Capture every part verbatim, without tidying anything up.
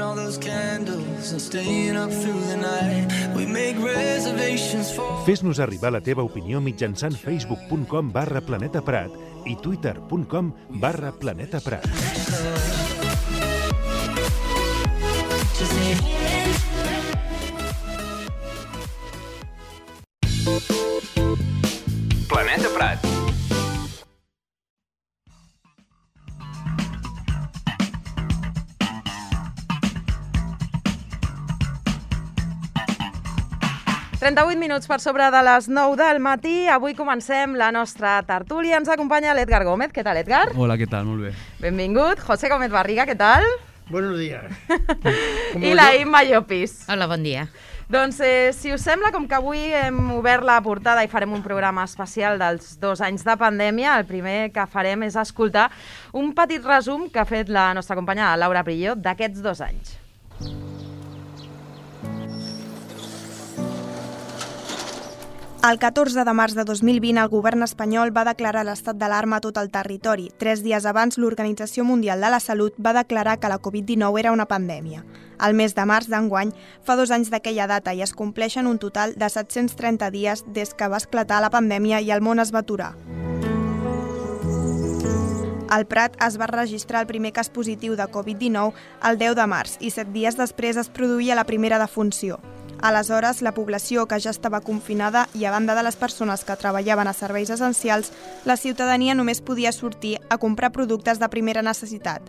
all those candles and staying up through the night. We make reservations for... Fes-nos arribar la teva opinió mitjançant facebook.com barra Planeta Prat i twitter.com barra Planeta Prat. Planeta Prat. trenta-vuit minuts per sobre de les nou del matí. Avui comencem la nostra tertúlia. Ens acompanya l'Edgar Gómez. Què tal, Edgar? Hola, què tal? Molt bé. Benvingut. José Gómez Barriga, què tal? Buenos días. I la Imma Llopis. Hola, bon dia. Doncs, eh, si us sembla, com que avui hem obert la portada i farem un programa especial dels dos anys de pandèmia, el primer que farem és escoltar un petit resum que ha fet la nostra companya Laura Prillo d'aquests dos anys. El catorze de març de dos mil vint, el govern espanyol va declarar l'estat d'alarma a tot el territori. Tres dies abans, l'Organització Mundial de la Salut va declarar que la covid dinou era una pandèmia. Al mes de març d'enguany, fa dos anys d'aquella data i es compleixen un total de set-cents trenta dies des que va esclatar la pandèmia i el món es va aturar. Al Prat es va registrar el primer cas positiu de covid dinou el deu de març i set dies després es produïa la primera defunció. Aleshores, la població que ja estava confinada i a banda de les persones que treballaven a serveis essencials, la ciutadania només podia sortir a comprar productes de primera necessitat.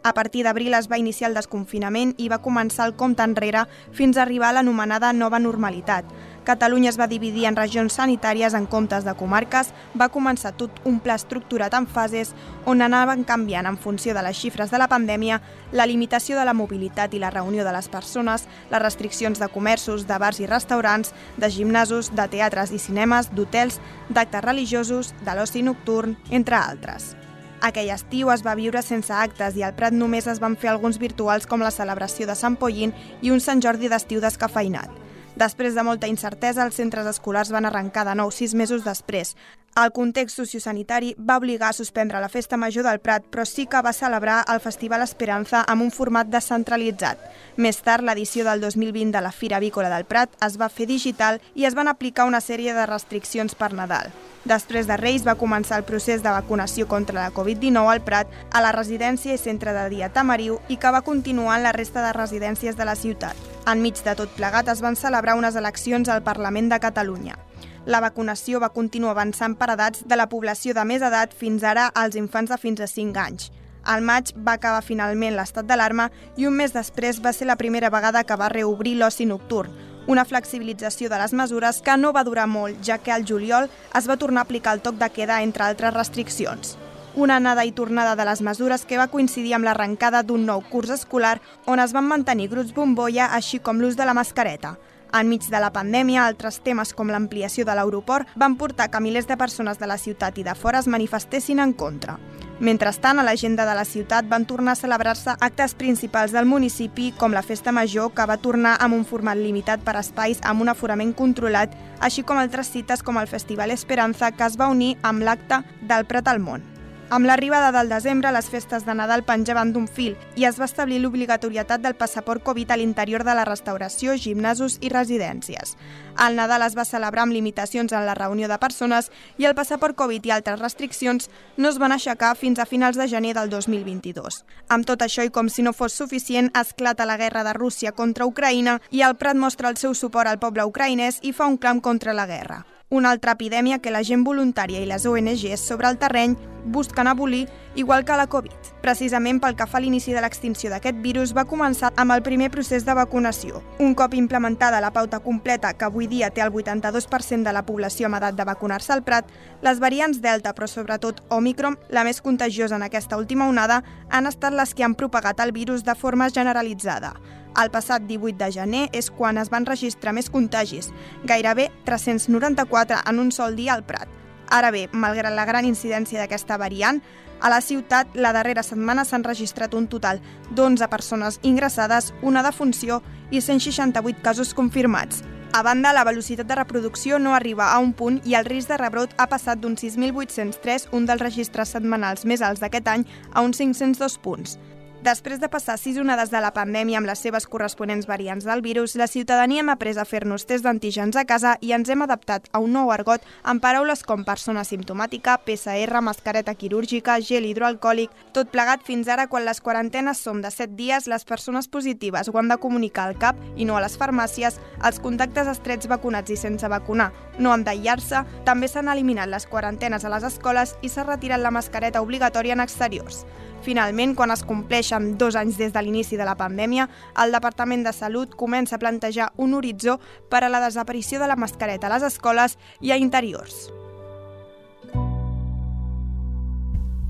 A partir d'abril es va iniciar el desconfinament i va començar el compte enrere fins a arribar a l'anomenada nova normalitat. Catalunya es va dividir en regions sanitàries en comptes de comarques, va començar tot un pla estructurat en fases on anaven canviant en funció de les xifres de la pandèmia, la limitació de la mobilitat i la reunió de les persones, les restriccions de comerços, de bars i restaurants, de gimnasos, de teatres i cinemes, d'hotels, d'actes religiosos, de l'oci nocturn, entre altres. Aquell estiu es va viure sense actes i al Prat només es van fer alguns virtuals com la celebració de Sant Pollín i un Sant Jordi d'estiu descafeïnat. Després de molta incertesa, els centres escolars van arrencar de nou sis mesos després. El context sociosanitari va obligar a suspendre la Festa Major del Prat, però sí que va celebrar el Festival Esperanza amb un format descentralitzat. Més tard, l'edició del dos mil vint de la Fira Avícola del Prat es va fer digital i es van aplicar una sèrie de restriccions per Nadal. Després de Reis va començar el procés de vacunació contra la covid dinou al Prat, a la residència i centre de dia Tamariu i que va continuar en la resta de residències de la ciutat. Enmig de tot plegat es van celebrar unes eleccions al Parlament de Catalunya. La vacunació va continuar avançant per edats de la població de més edat fins ara als infants de fins a cinc anys. Al maig va acabar finalment l'estat d'alarma i un mes després va ser la primera vegada que va reobrir l'oci nocturn, una flexibilització de les mesures que no va durar molt, ja que al juliol es va tornar a aplicar el toc de queda entre altres restriccions. Una anada i tornada de les mesures que va coincidir amb l'arrencada d'un nou curs escolar on es van mantenir grups bombolla així com l'ús de la mascareta. Enmig de la pandèmia, altres temes com l'ampliació de l'aeroport van portar que milers de persones de la ciutat i de fora es manifestessin en contra. Mentrestant, a l'agenda de la ciutat van tornar a celebrar-se actes principals del municipi, com la Festa Major, que va tornar amb un format limitat per espais amb un aforament controlat, així com altres cites com el Festival Esperanza, que es va unir amb l'acte del Prat al món. Amb l'arribada del desembre, les festes de Nadal penjaven d'un fil i es va establir l'obligatorietat del passaport Covid a l'interior de la restauració, gimnasos i residències. El Nadal es va celebrar amb limitacions en la reunió de persones i el passaport Covid i altres restriccions no es van aixecar fins a finals de gener del dos mil vint-i-dos. Amb tot això i com si no fos suficient, esclata la guerra de Rússia contra Ucraïna i el Prat mostra el seu suport al poble ucraïnès i fa un clam contra la guerra. Una altra epidèmia que la gent voluntària i les O N Ges sobre el terreny busquen abolir, igual que la Covid. Precisament pel que fa a l'inici de l'extinció d'aquest virus va començar amb el primer procés de vacunació. Un cop implementada la pauta completa, que avui dia té el vuitanta-dos per cent de la població amb edat de vacunar-se al Prat, les variants Delta, però sobretot Omicron, la més contagiosa en aquesta última onada, han estat les que han propagat el virus de forma generalitzada. El passat divuit de gener és quan es van registrar més contagis, gairebé tres-cents noranta-quatre en un sol dia al Prat. Ara bé, malgrat la gran incidència d'aquesta variant, a la ciutat la darrera setmana s'han registrat un total d'onze persones ingressades, una defunció i cent seixanta-vuit casos confirmats. A banda, la velocitat de reproducció no arriba a un punt i el risc de rebrot ha passat d'uns sis mil vuit-cents tres, un dels registres setmanals més alts d'aquest any, a uns cinc-cents dos punts. Després de passar sis onades de la pandèmia amb les seves corresponents variants del virus, la ciutadania hem après a fer-nos tests d'antígens a casa i ens hem adaptat a un nou argot amb paraules com persona simptomàtica, P C R, mascareta quirúrgica, gel hidroalcohòlic, tot plegat fins ara quan les quarantenes són de set dies, les persones positives ho han de comunicar al C A P i no a les farmàcies, els contactes estrets vacunats i sense vacunar no han d'aïllar-se, també s'han eliminat les quarantenes a les escoles i s'ha retirat la mascareta obligatòria en exteriors. Finalment, quan es compleixen dos anys des de l'inici de la pandèmia, el Departament de Salut comença a plantejar un horitzó per a la desaparició de la mascareta a les escoles i a interiors.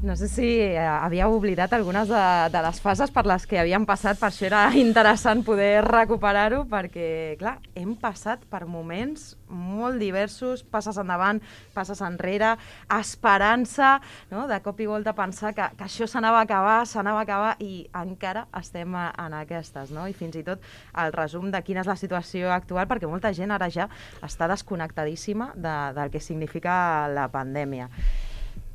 No sé si havíeu oblidat algunes de, de les fases per les que havíem passat, per això era interessant poder recuperar-ho, perquè, clar, hem passat per moments molt diversos, passes endavant, passes enrere, esperança, no? De cop i volta pensar que, que això s'anava a acabar, s'anava a acabar i encara estem en aquestes, no? I fins i tot el resum de quina és la situació actual, perquè molta gent ara ja està desconnectadíssima de, del que significa la pandèmia.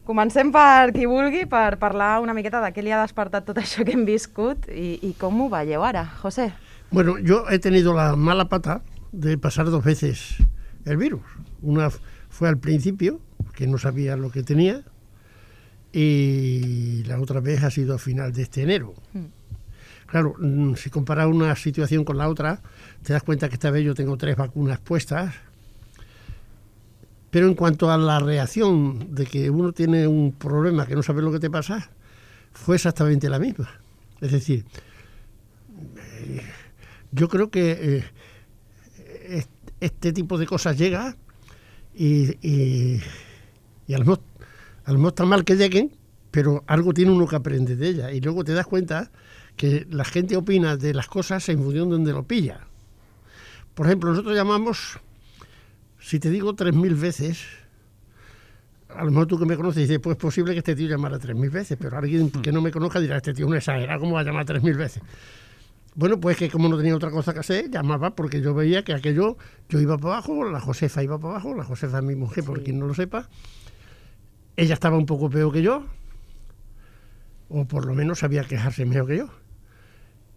Comencem per qui vulgui, per parlar una miqueta de què li ha despertat tot això que hem viscut i, y com ho veieu ara, José. Bueno, yo he tenido la mala pata de pasar dos veces el virus. Una fue al principio, que no sabía lo que tenía, y la otra vez ha sido a final de este enero. Mm. Claro, si comparas una situación con la otra, te das cuenta que esta vez yo tengo tres vacunas puestas. Pero en cuanto a la reacción de que uno tiene un problema que no sabe lo que te pasa, fue exactamente la misma. Es decir, eh, yo creo que eh, este tipo de cosas llega y, y, y a lo mejor, a lo mejor está mal que lleguen, pero algo tiene uno que aprender de ellas. Y luego te das cuenta que la gente opina de las cosas en función de donde lo pilla. Por ejemplo, nosotros llamamos... Si te digo tres mil veces, a lo mejor tú que me conoces dices, pues es posible que este tío llamara tres mil veces, pero alguien que no me conozca dirá, este tío es un exagerado, ¿cómo va a llamar tres mil veces? Bueno, pues que como no tenía otra cosa que hacer, llamaba porque yo veía que aquello, yo iba para abajo, la Josefa iba para abajo, la Josefa es mi mujer, por sí. Quien no lo sepa, ella estaba un poco peor que yo, o por lo menos sabía quejarse mejor que yo,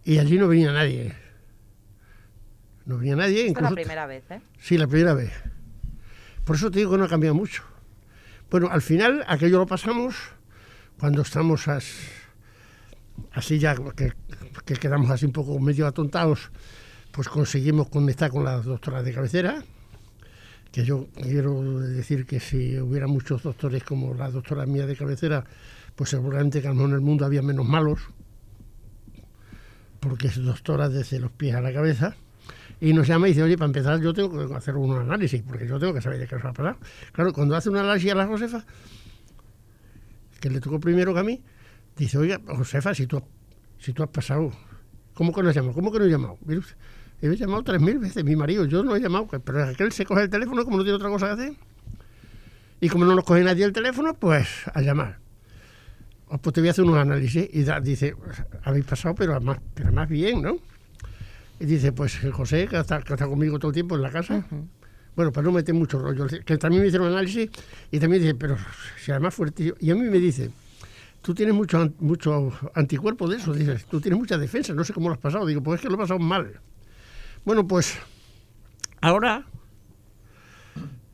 y allí no venía nadie. No venía nadie. Esta es la primera vez, ¿eh? Sí, la primera vez. Por eso te digo que no ha cambiado mucho. Bueno, al final, aquello lo pasamos cuando estamos as, así ya, que, que quedamos así un poco medio atontados, pues conseguimos conectar con la doctora de cabecera, que yo quiero decir que si hubiera muchos doctores como la doctora mía de cabecera, pues seguramente que a lo mejor en el mundo había menos malos, porque es doctora desde los pies a la cabeza. Y nos llama y dice, oye, para empezar yo tengo que hacer un análisis, porque yo tengo que saber de qué os va a pasar. Claro, cuando hace un análisis a la Josefa, que le tocó primero que a mí, dice, oiga, Josefa, si tú, si tú has pasado, ¿cómo que no has llamado? ¿Cómo que no he llamado? Mire usted, he llamado tres mil veces, mi marido, yo no he llamado, pero aquel se coge el teléfono como no tiene otra cosa que hacer. Y como no nos coge nadie el teléfono, pues a llamar. Pues te voy a hacer unos análisis. Y da, dice, habéis pasado, pero más, pero más bien, ¿no? Y dice, pues José, que está, que está conmigo todo el tiempo en la casa. Uh-huh. Bueno, para no meter mucho rollo, que también me hicieron análisis y también dice, pero si además fuerte. Y a mí me dice, tú tienes mucho, mucho anticuerpo de eso, dices, tú tienes mucha defensa, no sé cómo lo has pasado. Digo, pues es que lo he pasado mal. Bueno, pues ahora,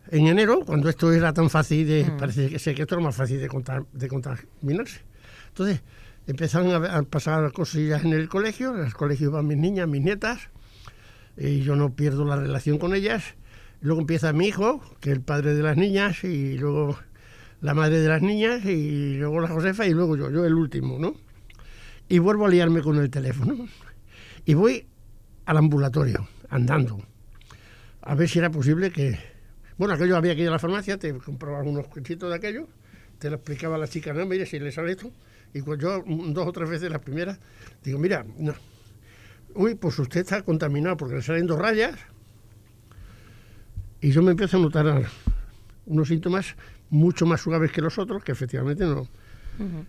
en enero, cuando esto era tan fácil, de, uh-huh. parece que, sé que esto era más fácil de, contar, de contaminarse. Entonces, empezaron a pasar cosillas en el colegio, en el colegio iban mis niñas, mis nietas, y yo no pierdo la relación con ellas. Luego empieza mi hijo, que es el padre de las niñas, y luego la madre de las niñas, y luego la Josefa, y luego yo, yo el último, ¿no? Y vuelvo a liarme con el teléfono. Y voy al ambulatorio, andando, a ver si era posible que... Bueno, aquello había que ir a la farmacia, te comprabas unos cuchitos de aquello, te lo explicaba a la chica, no, mire, si le sale esto... Y cuando yo dos o tres veces las primeras, digo, mira, no. Uy, pues usted está contaminado porque le salen dos rayas. Y yo me empiezo a notar unos síntomas mucho más suaves que los otros, que efectivamente no. Uh-huh.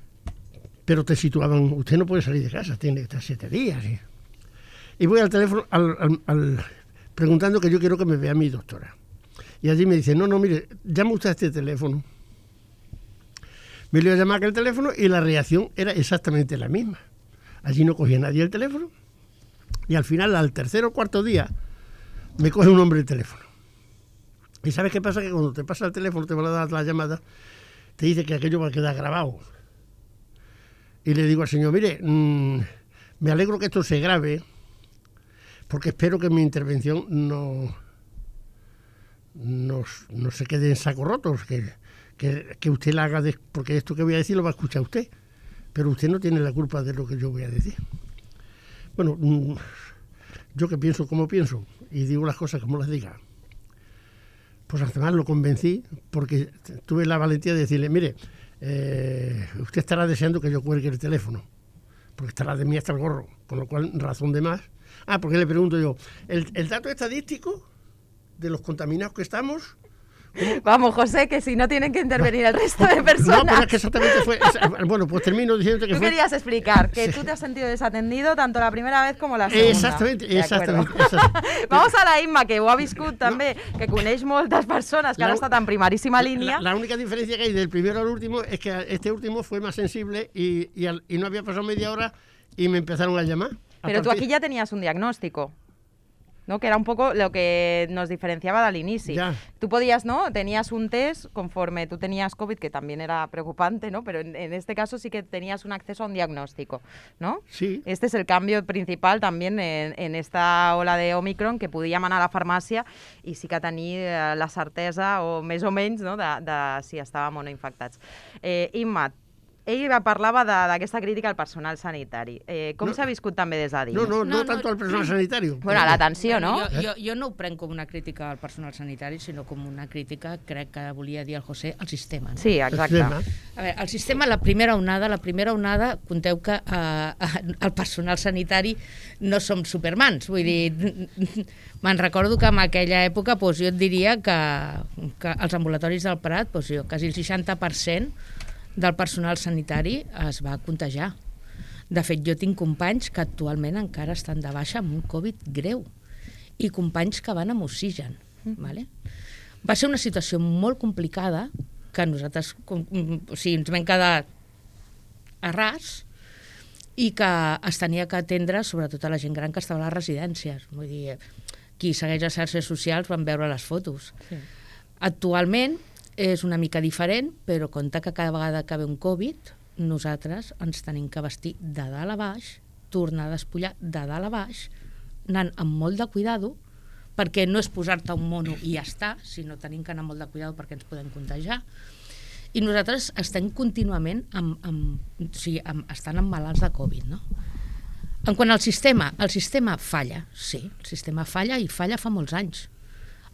Pero te situaban, usted no puede salir de casa, tiene que estar siete días. ¿Sí? Y voy al teléfono al, al, al, preguntando que yo quiero que me vea mi doctora. Y allí me dice, no, no, mire, llama usted a este teléfono. Me le iba a llamar a aquel teléfono y la reacción era exactamente la misma. Allí no cogía nadie el teléfono y al final, al tercer o cuarto día, me coge un hombre el teléfono. ¿Y sabes qué pasa? Que cuando te pasa el teléfono, te van a dar la llamada, te dice que aquello va a quedar grabado. Y le digo al señor, mire, mmm, me alegro que esto se grabe, porque espero que mi intervención no, no, no se quede en saco rotos, que, que, que usted la haga, de, porque esto que voy a decir lo va a escuchar usted, pero usted no tiene la culpa de lo que yo voy a decir. Bueno, mmm, yo que pienso como pienso y digo las cosas como las diga. Pues además lo convencí porque tuve la valentía de decirle, mire, eh, usted estará deseando que yo cuelgue el teléfono, porque estará de mí hasta el gorro, con lo cual razón de más. Ah, porque le pregunto yo, ¿el, el dato estadístico de los contaminados que estamos? ¿Cómo? Vamos, José, que si no tienen que intervenir el resto de personas. No, pero es que exactamente fue... Es, bueno, pues termino diciendo que tú fue... Tú querías explicar que sí. Tú te has sentido desatendido tanto la primera vez como la segunda. Exactamente, exactamente. exactamente. Vamos a la Imma, que ho ha viscut també, no. que coneix moltes persones, que la, han estat en primerísima línia. La, la única diferencia que hay del primero al último es que este último fue más sensible y, y, al, y no había pasado media hora y me empezaron a llamar. A Pero tú aquí ya tenías un diagnóstico, ¿no? Que era un poco lo que nos diferenciaba del inici. Ya. Tú podías, ¿no? Tenías un test conforme tú tenías COVID, que también era preocupante, ¿no? Pero en, en este caso sí que tenías un acceso a un diagnóstico, ¿no? Sí. Este es el cambio principal también en, en esta ola de Omicron, que podíem anar a la farmàcia i sí que tenir eh, la certesa, o més o menys, no? de, de si estàvem o no infectats. Eh, Imma, ell parlava d'aquesta crítica al personal sanitari. Eh, com no, s'ha viscut també des de dins? No, no, no, no tanto no, al personal sanitario. Bueno, a l'atenció, no? Jo, jo, jo no ho prenc com una crítica al personal sanitari, sinó com una crítica, crec que volia dir el José, al sistema. No? Sí, exacte. A veure, el sistema, la primera onada, la primera onada, conteu que eh, el personal sanitari no som supermans, vull dir, me'n recordo que en aquella època doncs, jo et diria que, que els ambulatoris del Prat, doncs, jo, quasi el seixanta per cent del personal sanitari es va contagiar. De fet, jo tinc companys que actualment encara estan de baixa amb un Covid greu i companys que van amb oxigen. Mm. Vale? Va ser una situació molt complicada que nosaltres o sigui, ens vam quedar a ras i que es tenia que atendre sobretot a la gent gran que estava a les residències. Vull dir, qui segueix les xarxes socials van veure les fotos. Sí. Actualment és una mica diferent, però compte que cada vegada que ve un Covid, nosaltres ens tenim que vestir de dalt a baix, tornar a despullar de dalt a baix, anant amb molt de cuidado, perquè no és posar-te un mono i ja està, sinó tenim que anar amb molt de cuidado perquè ens podem contagiar. I nosaltres estem contínuament amb, amb, o sigui, amb, estan amb malalts de Covid, no? En quant al sistema, el sistema falla, sí, el sistema falla i falla fa molts anys.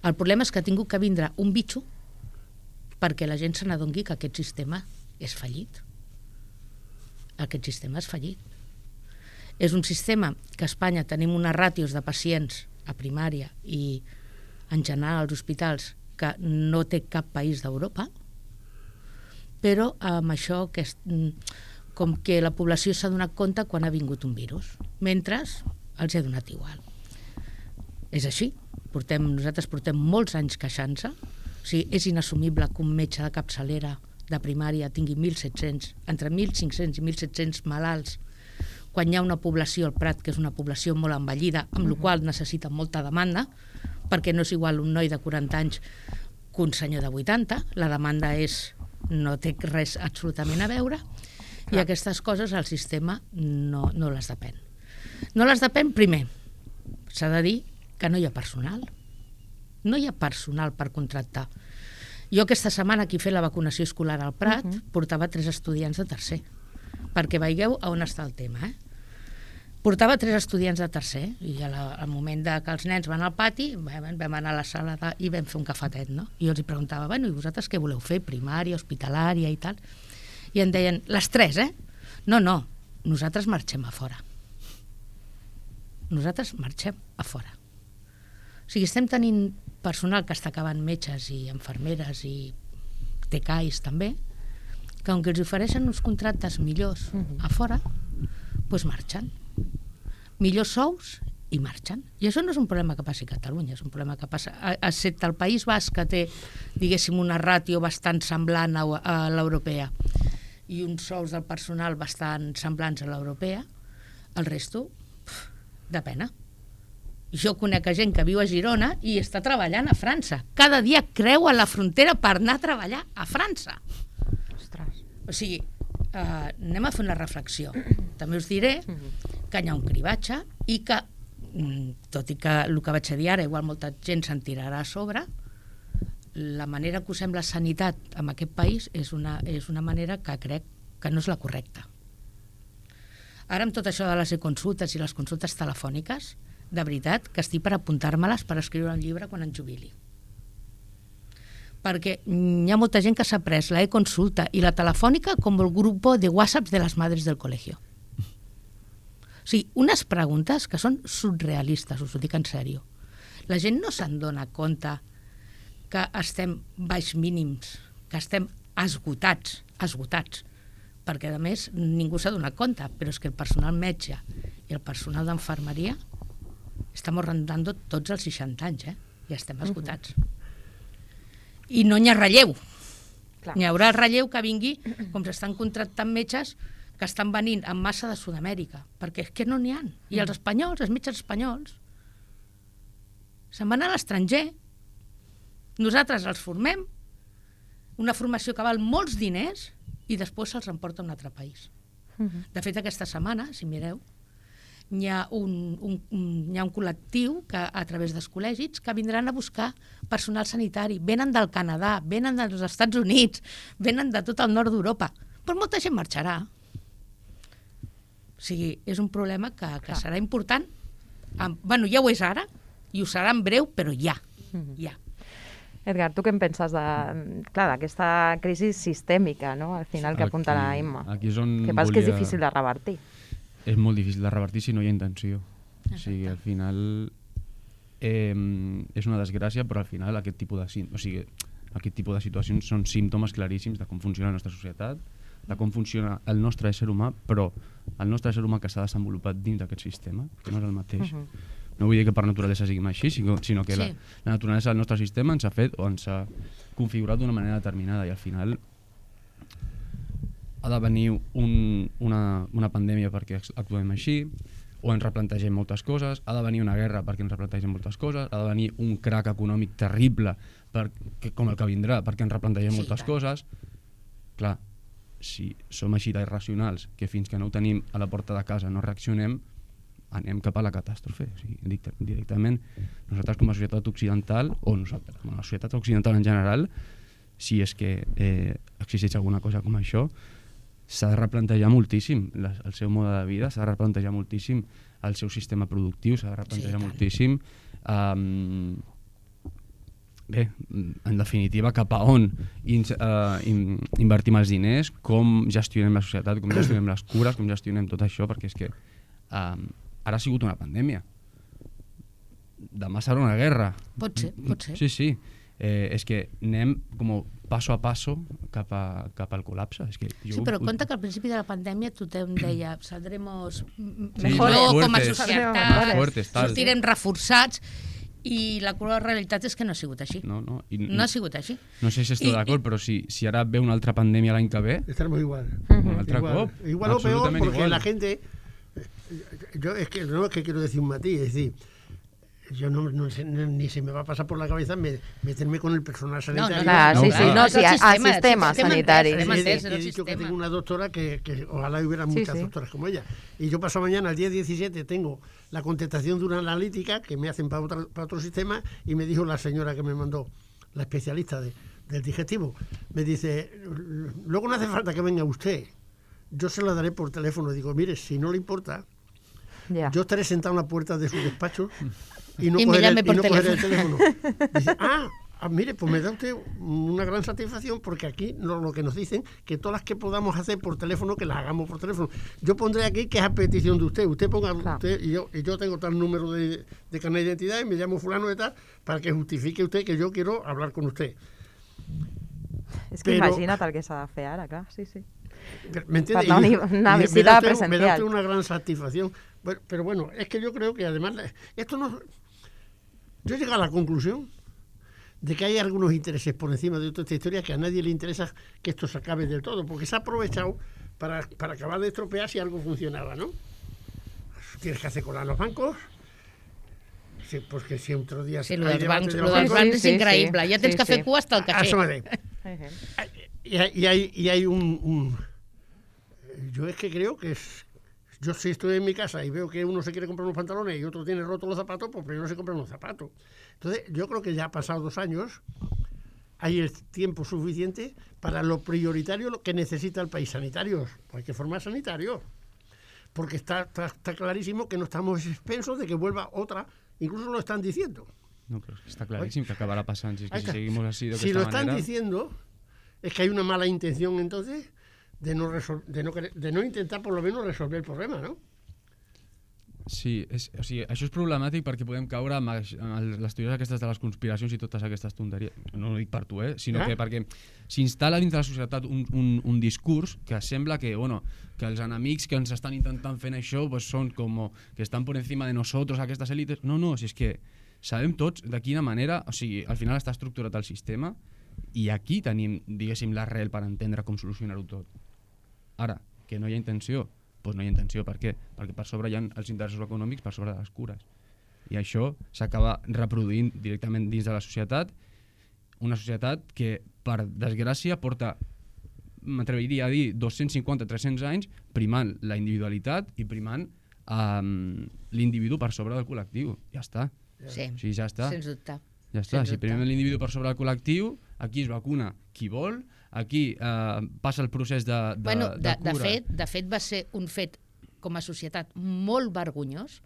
El problema és que ha tingut que vindre un bitxo perquè la gent se n'adongui que aquest sistema és fallit. Aquest sistema és fallit. És un sistema que a Espanya tenim unes ràtios de pacients a primària i en general als hospitals que no té cap país d'Europa, però amb això que és, com que la població s'ha donat compte quan ha vingut un virus, mentre els ha donat igual. És així. Portem, nosaltres portem molts anys queixant-se. O sigui, és inassumible que un metge de capçalera de primària tingui mil set-cents, entre mil cinc-cents i mil set-cents malalts, quan hi ha una població al Prat, que és una població molt envellida, amb la qual necessita molta demanda, perquè no és igual un noi de quaranta anys que un senyor de vuitanta, la demanda és, no té res absolutament a veure, i aquestes coses el sistema no, no les depèn. No les depèn, primer, s'ha de dir que no hi ha personal. No hi ha personal per contractar. Jo aquesta setmana aquí he fet la vacunació escolar al Prat, uh-huh. portava tres estudiants de tercer, perquè veieu on està el tema. Eh? Portava tres estudiants de tercer, i al moment de que els nens van al pati, vam, vam anar a la sala de, i vam fer un cafetet, no? I jo els preguntava, bueno, i vosaltres què voleu fer? Primària, hospitalària i tal? I em deien, les tres, eh? No, no, nosaltres marxem a fora. Nosaltres marxem a fora. O sigui, estem tenint personal que està acabant metges i infermeres i T C A Is també, que on els ofereixen uns contractes millors a fora, doncs marxen. Millors sous i marxen. I això no és un problema que passi a Catalunya, és un problema que passa, excepte el País Basc, que té, diguéssim, una ràtio bastant semblant a, a l'europea i uns sous del personal bastant semblants a l'europea. El resto, de pena. Jo conec gent que viu a Girona i està treballant a França. Cada dia creua la frontera per anar a treballar a França. Ostres. O sigui, eh, anem a fer una reflexió. També us diré que hi ha un cribatge i que, tot i que el que vaig a dir ara, igual molta gent se'n tirarà a sobre, la manera que usem la sanitat en aquest país és una, és una manera que crec que no és la correcta. Ara amb tot això de les e-consultes i les consultes telefòniques, de veritat que estic per apuntar-me-les per escriure un llibre quan em jubili. Perquè hi ha molta gent que s'ha pres la e-consulta i la telefònica com el grup de WhatsApp de les madres del col·legio. O sigui, unes preguntes que són surrealistes, us ho dic en sèrio. La gent no se'n dona compte que estem baix mínims, que estem esgotats, esgotats, perquè a més ningú s'ha donat compte, però és que el personal metge i el personal d'enfermeria estem rondant tots els seixanta anys, eh? I estem esgotats. I no n'hi ha relleu. Clar. N'hi haurà relleu que vingui, com s'estan contractant metges que estan venint en massa de Sud-amèrica, perquè és que no n'hi ha. I els espanyols, els metges espanyols, se'n van a l'estranger. Nosaltres els formem, una formació que val molts diners, i després se'ls emporta a un altre país. De fet, aquesta setmana, si mireu, hi ha un, un, un, hi ha un col·lectiu que, a través dels col·legis que vindran a buscar personal sanitari. Venen del Canadà, venen dels Estats Units, venen de tot el nord d'Europa. Però molta gent marxarà. O sigui, és un problema que, que serà important. Bueno, ja ho és ara, i ho serà en breu, però ja. ja. Edgar, tu què en penses de, clar, d'aquesta crisi sistèmica, no? Al final, que apunta la Imma. Aquí és on que passa que és difícil de revertir. És molt difícil de revertir si no hi ha intenció. Exacte. O sigui, al final eh, és una desgràcia, però al final aquest tipus de, o sigui, aquest tipus de situacions són símptomes claríssims de com funciona la nostra societat, de com funciona el nostre ésser humà, però el nostre ésser humà que s'ha desenvolupat dins d'aquest sistema, que no és el mateix. Uh -huh. No vull dir que per naturalesa siguem així, sinó que sí. la, la naturalesa del nostre sistema ens ha fet o ens ha configurat d'una manera determinada, i al final ha de venir un, una, una pandèmia perquè actuem així, o ens replantegem moltes coses, ha de venir una guerra perquè ens replantegem moltes coses, ha de venir un crac econòmic terrible per, que, com el que vindrà perquè ens replantegem sí, moltes tant. coses. Clar, si som així d'irracionals que fins que no ho tenim a la porta de casa no reaccionem, anem cap a la catàstrofe. O sigui, directament, nosaltres com a societat occidental, o nosaltres, com a societat occidental en general, si és que eh, existeix alguna cosa com això, s'ha de replantejar moltíssim la, el seu mode de vida, s'ha de replantejar moltíssim el seu sistema productiu, s'ha de replantejar sí, moltíssim um, bé, en definitiva, cap a on in, uh, in, invertim els diners, com gestionem la societat, com gestionem les cures, com gestionem tot això, perquè és que um, ara ha sigut una pandèmia. Demà serà una guerra. Pot ser, pot ser. Sí, sí. Eh, és que anem com passo a passo cap, a, cap al col·lapse. És que jo... Sí, però compte que al principi de la pandèmia tothom deia saldremos sí, mejor fuertes, com a societat, fuertes, sortirem reforçats, i la realitat és que no ha sigut així. No, no, i, no ha sigut així. No sé si estic d'acord, però si, si ara ve una altra pandèmia l'any que ve... Estaremos igual. Un altre igual. cop. Igual o peor, porque igual. La gente... Yo es que no es que quiero decir un matiz, es decir, yo no, no sé, ni se me va a pasar por la cabeza me, meterme con el personal sanitario. No, no, clar, sí, sí, no, sí, al sistema, sistema sanitari. He, he, he dicho que tengo una doctora que, que ojalá hubiera muchas sí, sí. doctoras como ella. Y yo paso mañana, el día diecisiete, tengo la contestación de una analítica que me hacen para, otra, para otro sistema, y me dijo la señora que me mandó, la especialista de, del digestivo, me dice, luego no hace falta que venga usted, yo se la daré por teléfono. Digo, mire, si no le importa, yeah. yo estaré sentado en la puerta de su despacho y no y cogeré, el, y no cogeré el teléfono. Dice, ah, ah, mire, pues me da usted una gran satisfacción, porque aquí lo, lo que nos dicen, que todas las que podamos hacer por teléfono, que las hagamos por teléfono. Yo pondré aquí que es a petición de usted. Usted ponga claro. usted y yo, y yo tengo tal número de, de carnet de identidad y me llamo fulano de tal, para que justifique usted que yo quiero hablar con usted. És que Pero, imagina't el que s'ha de fer ara, clar, sí, sí. ¿Me entiendes? Una, una, una visita me presencial. Me da usted una gran satisfacción. Bueno, pero bueno, es que yo creo que además, esto no... Yo he llegado a la conclusión de que hay algunos intereses por encima de toda esta historia, que a nadie le interesa que esto se acabe del todo, porque se ha aprovechado para, para acabar de estropear si algo funcionaba, ¿no? tienes que hacer cola en los bancos. Sí, pues que si otro día... Sí, lo dels bancs, lo dels bancs és increïble. Ja tens que fer cua hasta el caixer. Y hay, y hay, y hay un, un... Yo es que creo que es... Yo si estoy en mi casa y veo que uno se quiere comprar unos pantalones y otro tiene rotos los zapatos, pues primero se compran los zapatos. Entonces, yo creo que ya ha pasado dos años, hay el tiempo suficiente para lo prioritario lo que necesita el país, sanitarios. Pues hay que formar sanitarios. Porque está, está, está clarísimo que no estamos expensos de que vuelva otra, incluso lo están diciendo. No, pero está clarísimo que acabará pasando. Si, es que si seguimos así de si esta lo están manera... diciendo, es que hay una mala intención entonces de no, resol de, no de no intentar por lo menos resolver el problema, no? Sí, és, o sigui, això és problemàtic perquè podem caure amb les teories aquestes de les conspiracions i totes aquestes tonteries. No ho dic per tu, eh? Sinó eh? que perquè s'instal·la dins de la societat un, un, un discurs que sembla que, bueno, que els enemics que ens estan intentant fent això pues, són com que estan por encima de nosotros, aquestes élites. No, no, si és que sabem tots de quina manera, o sigui, al final està estructurat el sistema i aquí tenim, diguéssim, l'arrel per entendre com solucionar-ho tot. Ara, que no hi ha intenció, doncs no hi ha intenció. Per què? Perquè per sobre hi ha els interessos econòmics per sobre de les cures. I això s'acaba reproduint directament dins de la societat, una societat que, per desgràcia, porta, m'atreviria a dir, dos-cents cinquanta a tres-cents anys primant la individualitat i primant um, l'individu per sobre del col·lectiu. Ja està. Sí, o sigui, ja està. sens dubte. Ja està, si primem l'individu per sobre del col·lectiu, aquí es vacuna qui vol, aquí eh, passa el procés de, de, bueno, de, de cura. De fet, de fet, va ser un fet com a societat molt vergonyós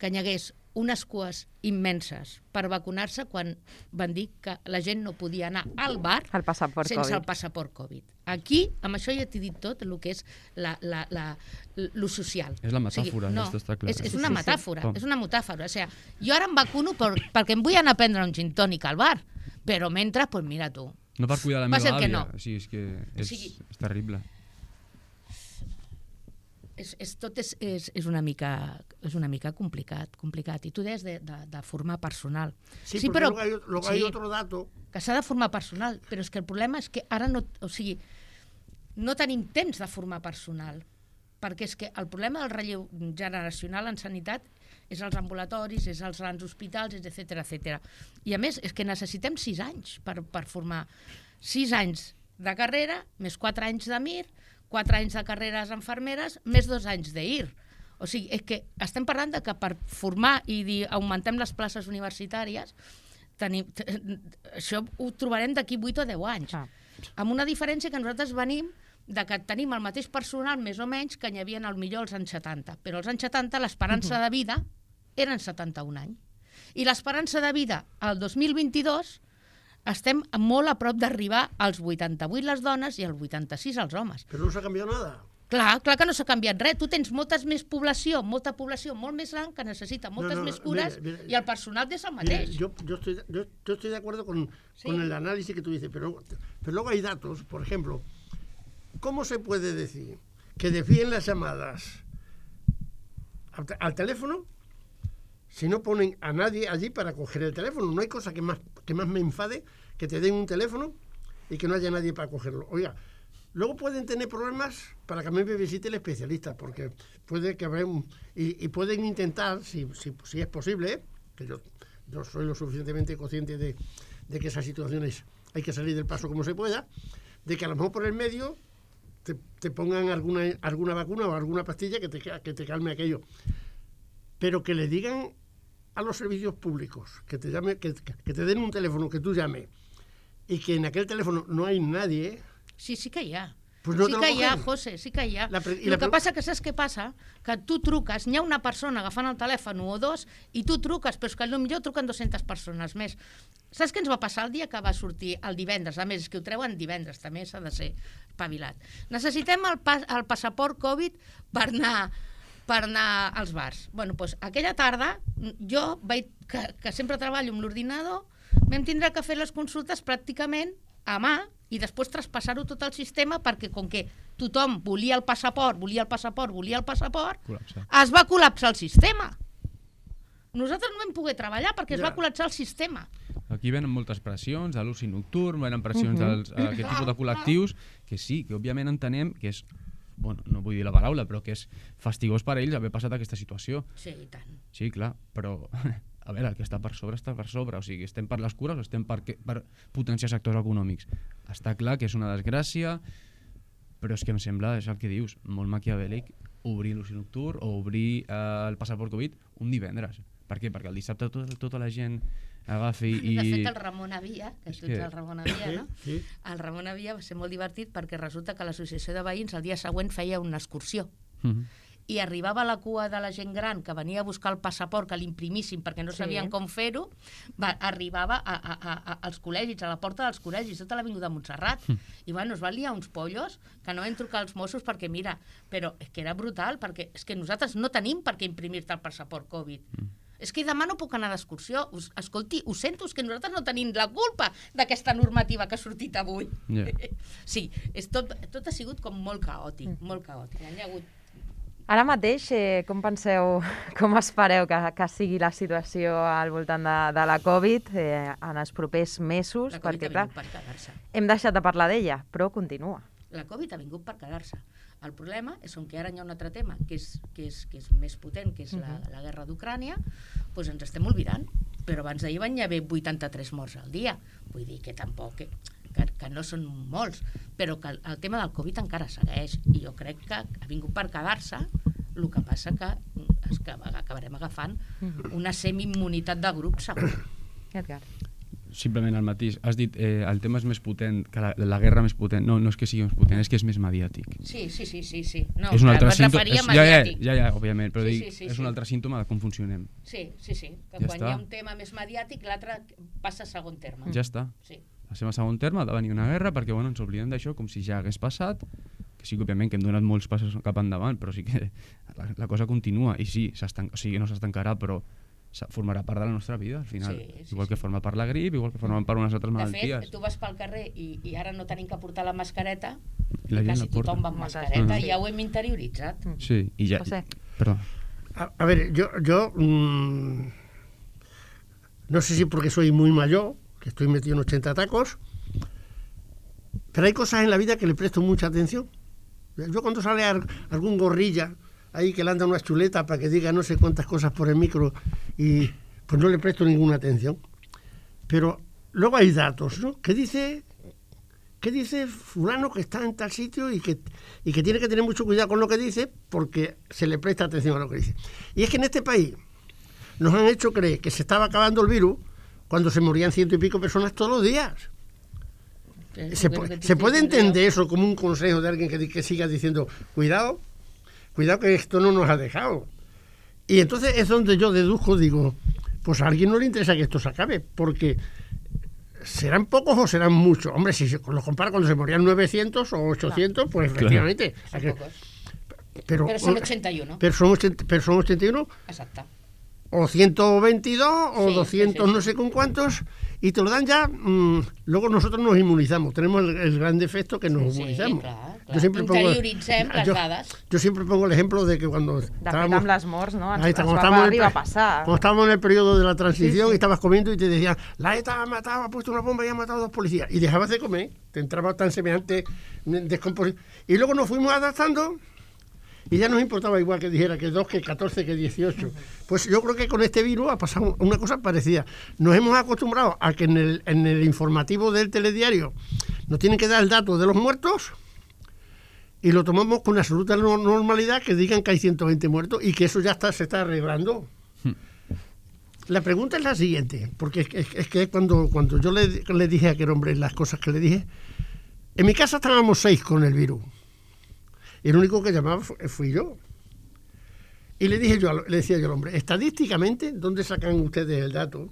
que hi hagués unes cues immenses per vacunar-se quan van dir que la gent no podia anar al bar el passaport sense Covid. el passaport Covid. Aquí, amb això ja t'he dit tot el que és la, la, la, lo social. És la metàfora, o sigui, no, esto està clar. És, és una Sí, sí, metàfora, sí. és una metàfora. O sigui, jo ara em vacuno per, perquè em vull anar a prendre un gin tònic al bar, però mentre, doncs pues mira tu. No per cuidar la Va ser meva que àvia, no. o sigui, és que és, O sigui, és terrible. És, és, tot és, és, és, una mica, és una mica complicat, complicat. I tu deies de, de, de formar personal. Sí, sí però luego hay, luego hay otro dato. Que s'ha de formar personal, però és que el problema és que ara no, o sigui, no tenim temps de formar personal, perquè és que el problema del relleu generacional en sanitat és els ambulatoris, és els grans hospitals, etcètera, etcètera. I a més, és que necessitem sis anys per, per formar. Sis anys de carrera, més quatre anys de Mir, quatre anys de carreres infermeres, més dos anys d'I R. O sigui, és que estem parlant de que per formar i dir augmentem les places universitàries, tenim, això ho trobarem d'aquí vuit o deu anys. Ah. Amb una diferència que nosaltres venim de que tenim el mateix personal, més o menys, que n'hi havia al millor als anys setanta. Però als anys setanta l'esperança de vida eren setanta-un anys. I l'esperança de vida al dos mil vint-i-dos estem molt a prop d'arribar als vuitanta-vuit les dones i als vuitanta-sis els homes. Però no s'ha canviat nada. Clar, clar que no s'ha canviat res. Tu tens moltes més població, molta població molt més gran que necessita moltes no, no, més cures mira, mira, y el personal és el mateix. Mira, yo, yo, estoy, yo, yo estoy de acuerdo con, sí. con el análisis que tú dices, pero, pero luego hay datos. Por ejemplo, ¿cómo se puede decir que desvíen las llamadas al, al teléfono si no ponen a nadie allí para coger el teléfono? No hay cosa que más, que más me enfade que te den un teléfono y que no haya nadie para cogerlo. Oiga, luego pueden tener problemas para que a mí me visite el especialista, porque puede que haber un, y, y pueden intentar, si, si, si es posible, ¿eh? que yo, yo soy lo suficientemente consciente de, de que esas situaciones hay que salir del paso como se pueda, de que a lo mejor por el medio te, te pongan alguna, alguna vacuna o alguna pastilla que te, que te calme aquello. Pero que le digan a los servicios públicos que te, llame, que, que te den un teléfono que tú llames y que en aquel teléfono no hay nadie... Sí, sí que hi ha. Pues no sí que hi ha, José, sí que hi ha. La, el la... que passa que saps què passa? Que tu truques, n'hi ha una persona agafant el telèfon o dos i tu truques, però és que potser truquen dues-centes persones més. Saps què ens va passar el dia que va sortir el divendres? A més, és que ho treuen divendres, també s'ha de ser espavilat. Necessitem el, pas, el passaport Covid per anar... per anar als bars. Bueno, doncs aquella tarda, jo, vaig, que, que sempre treballo amb l'ordinador, vam tindre que fer les consultes pràcticament a mà i després traspassar-ho tot al sistema perquè com que tothom volia el passaport, volia el passaport, volia el passaport, col·lapsar. Es va col·lapsar el sistema. Nosaltres no vam poder treballar perquè ja. Es va col·lapsar el sistema. Aquí venen moltes pressions, a l'oci nocturn, venen pressions uh -huh. dels, a aquest tipus de col·lectius, que sí, que òbviament entenem que és bueno, no vull dir la paraula, però que és fastigós per a ells haver passat aquesta situació. Sí, i tant. Sí, clar, però a veure, el que està per sobre està per sobre, o sigui, estem per les cures o estem per, per potenciar sectors econòmics. Està clar que és una desgràcia, però és que em sembla, és el que dius, molt maquiavèlic, obrir l'oci nocturn o obrir eh, el passaport Covid un divendres. Per què? Perquè el dissabte tot, tota la gent agafi i... De fet, el Ramon Avia, que tu ets que... el Ramon Avia, no? Sí. El Ramon Avia va ser molt divertit perquè resulta que l'associació de veïns el dia següent feia una excursió. Mhm. I arribava la cua de la gent gran que venia a buscar el passaport, que l'imprimíssim perquè no Sí. sabien com fer-ho, va, arribava a, a, a, a, als col·legis, a la porta dels col·legis, tota l'avinguda Montserrat. Mm. I bueno, es van liar uns pollos que no vam trucar als Mossos perquè, mira, però és que era brutal, perquè és que nosaltres no tenim per què imprimir-te el passaport Covid. Mm. És que demà no puc anar d'excursió. Us- Escolti, ho sento, és que nosaltres no tenim la culpa d'aquesta normativa que ha sortit avui. Ja. Sí, és tot, tot ha sigut com molt caòtic, molt caòtic. Hi ha hagut Ara mateix, eh, com penseu, com espereu que, que sigui la situació al voltant de, de la Covid eh, en els propers mesos? la Covid Perquè, ha clar, vingut per quedar-se. hem deixat de parlar d'ella, però continua. La Covid ha vingut per quedar-se. El problema és que ara hi ha un altre tema, que és, que és, que és més potent, que és la, la guerra d'Ucrània, doncs ens estem oblidant. Però abans d'ahir van hi haver vuitanta-tres morts al dia. Vull dir que tampoc, que, que, que no són molts, però que el, el tema del Covid encara segueix. I jo crec que ha vingut per quedar-se, el que passa que, és que acabarem agafant una semi-immunitat de grup, segur. Edgar. Simplement el mateix. Has dit eh, el tema és més potent, que la, la guerra més potent. No, no és que sigui més potent, és que és més mediàtic. Sí, sí, sí, sí, sí. No, és un altre em símptoma. referia a Ja, ja, mediàtic. ja, ja, òbviament, però Sí, dic, sí, sí, és sí. un altre símptoma de com funcionem. Sí, sí, sí. Que Ja quan està. hi ha un tema més mediàtic, l'altre passa a segon terme. Ja està. Sí. Passem a segon terme, ha de venir una guerra, perquè bueno, ens oblidem d'això com si ja hagués passat, que sí que òbviament que hem donat molts passos cap endavant, però sí que la, la cosa continua, i sí, o sigui, no s'estancarà, però formarà part de la nostra vida, al final. Sí, sí, igual sí. que forma part la grip, igual que forma part unes altres De malalties. fet, tu vas pel carrer i, i ara no tenim que portar la mascareta, I la gent quasi la porta. tothom va amb Molta mascareta, gent, i ja ho hem interioritzat. Sí, i ja... José. Perdó. A, a ver, yo, yo mmm, no sé si porque soy muy mayor, que estoy metido en ochenta tacos, pero hay cosas en la vida que le presto mucha atención. Yo cuando sale ar- algún gorrilla ahí que le anda una chuleta para que diga no sé cuántas cosas por el micro y pues no le presto ninguna atención. Pero luego hay datos, ¿no? ¿Qué dice, qué dice fulano que está en tal sitio y que, y que tiene que tener mucho cuidado con lo que dice porque se le presta atención a lo que dice? Y es que en este país nos han hecho creer que se estaba acabando el virus cuando se morían ciento y pico personas todos los días. ¿Se, pu- ¿se puede entender eso como un consejo de alguien que, di- que siga diciendo cuidado, cuidado que esto no nos ha dejado? Y entonces es donde yo deduzco, digo, pues a alguien no le interesa que esto se acabe, porque ¿serán pocos o serán muchos? Hombre, si se- lo compara cuando se morían novecientos o ochocientos, pues efectivamente. Son Aquel- pocos. Pero, Pero son ochenta y uno. pero son ochenta, pero son ochenta y uno, Exacte. o ciento veintidós, o Sí, doscientos, sí, sí, no sí. sé con cuántos, y te lo dan ya, mmm, luego nosotros nos inmunizamos, tenemos el, el gran defecto que nos Sí, inmunizamos. clar, clar. Yo siempre pongo, Interioritzem les yo, dades. yo siempre pongo el ejemplo de que cuando De fet, estábamos, amb les morts, no? Ens, ahí está, ens cuando va estábamos en el arribar a pe- passar. cuando estábamos en el periodo de la transición Sí, sí. y estabas comiendo y te decían, la ETA ha matado, ha puesto una bomba y ha matado a dos policías, y dejabas de comer, te entraba tan semejante descomposición, y luego nos fuimos adaptando. Y ya nos importaba igual que dijera que dos, que catorce, que dieciocho. Pues yo creo que con este virus ha pasado una cosa parecida. Nos hemos acostumbrado a que en el, en el informativo del telediario nos tienen que dar el dato de los muertos y lo tomamos con absoluta no- normalidad, que digan que hay ciento veinte muertos y que eso ya está, se está arreglando. La pregunta es la siguiente, porque es, es- es que cuando, cuando yo le, le dije a aquel hombre las cosas que le dije, en mi casa estábamos seis con el virus. Y el único que llamaba fu- fui yo. Y le dije yo, al- le decía yo al hombre, estadísticamente, ¿dónde sacan ustedes el dato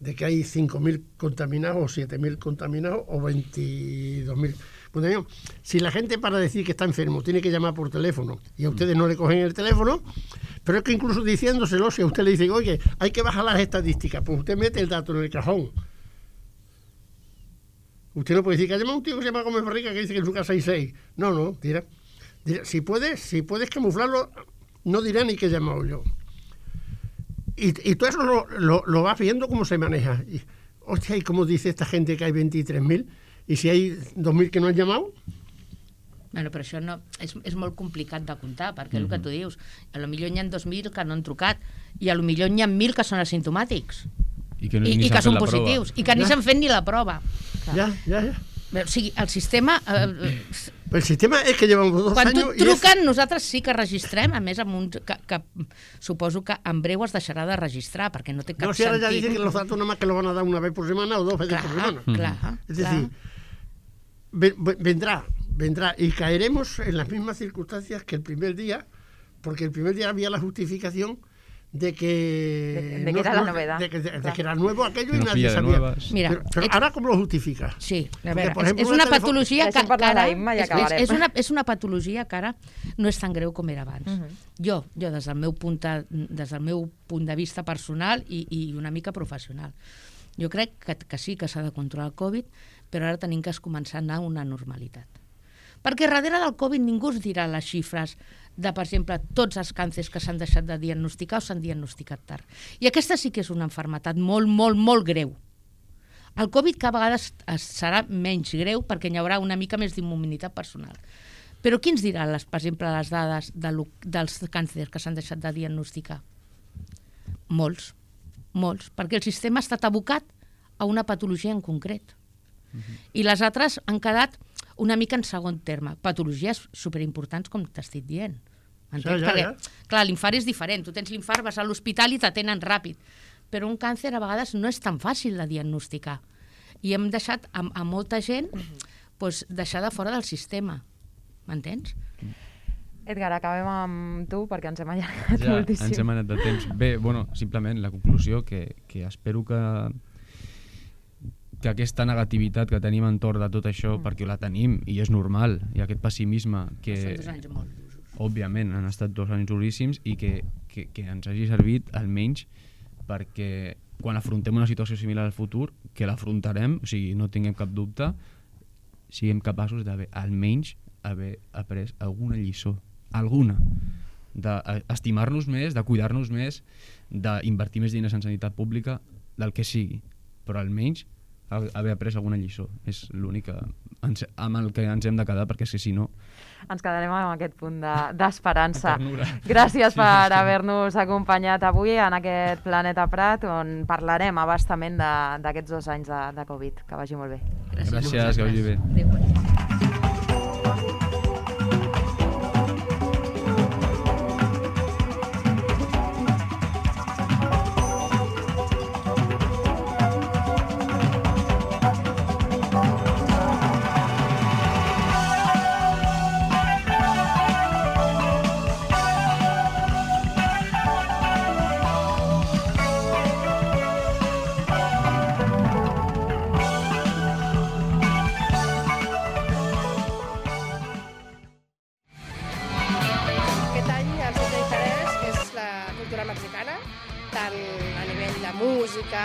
de que hay cinco mil contaminados o siete mil contaminados o veintidós mil contaminados? Si la gente para decir que está enfermo tiene que llamar por teléfono y a ustedes no le cogen el teléfono, pero es que incluso diciéndoselo, si a usted le dice, oye, hay que bajar las estadísticas, pues usted mete el dato en el cajón. Usted no puede decir que ha llamado un tío que se llama Gómez Barriga que dice que en su casa hay seis. No, no, dirá. dirá, si puedes, si puedes camuflarlo, no dirá ni que he llamado yo. Y, y todo eso lo, lo, lo vas viendo cómo se maneja. Y, hostia, ¿y cómo dice esta gente que hay veintitrés mil? ¿Y si hay dos mil que no han llamado? Bueno, però això no, és, és molt complicat de comptar, perquè mm-hmm. el que tu dius, a lo millor n'hi ha dos mil que no han trucat, i a lo millor n'hi ha mil que són asimptomàtics, i que, no, i, i que són positius, prova. I que ni s'han fet ni la prova. Ja, ja, ja. O sigui, el sistema... Eh, el sistema és que llevamos dos quan anys... Quan tu truquen, és... nosaltres sí que registrem, a més, amb un, que, que suposo que en breu es deixarà de registrar, perquè no té cap no, si ara sentit. Ja dicen que los datos nomás que lo van a dar una vez por semana o dos veces clar, por semana. Clar, es decir, vendrá, vendrá, y caeremos en las mismas circunstancias que el primer día, porque el primer día había la justificación de que... De, de no, que era la novedad. De que, de, de que era nuevo aquello y no nadie sabía. Mira, pero pero ahora, ¿cómo lo justifica? Sí, a veure, Porque, és, és una patologia que, que ara... És, és, una, és una patologia que ara no és tan greu com era abans. Uh -huh. Jo, jo des, del meu punt de, des del meu punt de vista personal i, i una mica professional, jo crec que, que sí que s'ha de controlar el Covid, però ara tenim que començar a anar a una normalitat. Perquè darrere del Covid ningú us dirà les xifres de, per exemple, tots els càncers que s'han deixat de diagnosticar o s'han diagnosticat tard. I aquesta sí que és una malaltia molt, molt, molt greu. El Covid cada vegada serà menys greu perquè hi haurà una mica més d'immunitat personal. Però qui ens dirà, les, per exemple, les dades de lo, dels càncers que s'han deixat de diagnosticar? Molts, molts, perquè el sistema ha estat abocat a una patologia en concret. Uh-huh. I les altres han quedat una mica en segon terme. Patologies superimportants, com t'estic dient. Entens? Ja, ja, ja. Perquè, clar, l'infart és diferent. Tu tens l'infart, vas a l'hospital i t'atenen ràpid. Però un càncer a vegades no és tan fàcil de diagnosticar. I hem deixat a, a molta gent pues, deixada fora del sistema. M'entens? Edgar, acabem amb tu perquè ens hem allargat ja, moltíssim. ens hem anat de temps. Bé, bueno, simplement la conclusió que, que espero que que aquesta negativitat que tenim entorn de tot això, mm. perquè la tenim i és normal, i aquest pessimisme que... Són dos anys molt duros. Òbviament, han estat dos anys duríssims i que, que, que ens hagi servit almenys perquè quan afrontem una situació similar al futur, que l'afrontarem, o sigui, no tinguem cap dubte, siguem capaços d'haver almenys haver après alguna lliçó, alguna, d'estimar-nos més, de cuidar-nos més, d'invertir més diners en sanitat pública, del que sigui, però almenys haver après alguna lliçó. És l'únic amb el que ens hem de quedar, perquè és que si no... Ens quedarem amb aquest punt d'esperança. De, Gràcies sí, per haver-nos acompanyat avui en aquest Planeta Prat, on parlarem abastament d'aquests dos anys de, de Covid. Que vagi molt bé. Gràcies, Gràcies que vagi bé. Adéu. mexicana, tant a nivell de música,